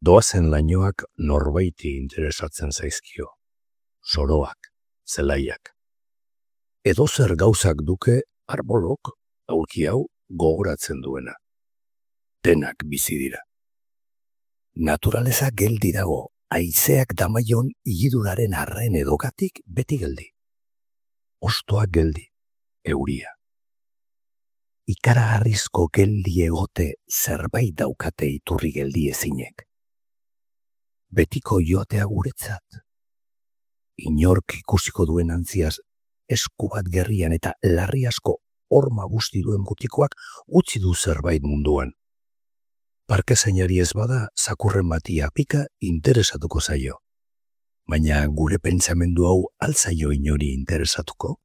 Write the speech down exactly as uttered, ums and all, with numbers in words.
Doazen lainoak norbaiti interesatzen zaizkio. Soroak, zelaiak. Edozer gauzak duke arbolok, aulki hau, gogoratzen duena. Denak bizi dira. Naturaleza geldi dago, haizeak damaion igiduraren arren edokatik beti geldi. Ostoak geldi, euria. Ikaragarrizko geldi egote zerbait daukate iturri geldi ezinek. Betiko joatea guretzat. Inork ikusiko duen antziaz, esku bat gerrian eta larri asko horma guzti duen butikoak utzi du zerbait munduan. Parke zainari ez bada, zakurren batia pika interesatuko zaio. Baina gure pentsamendu hau altzaio inori interesatuko?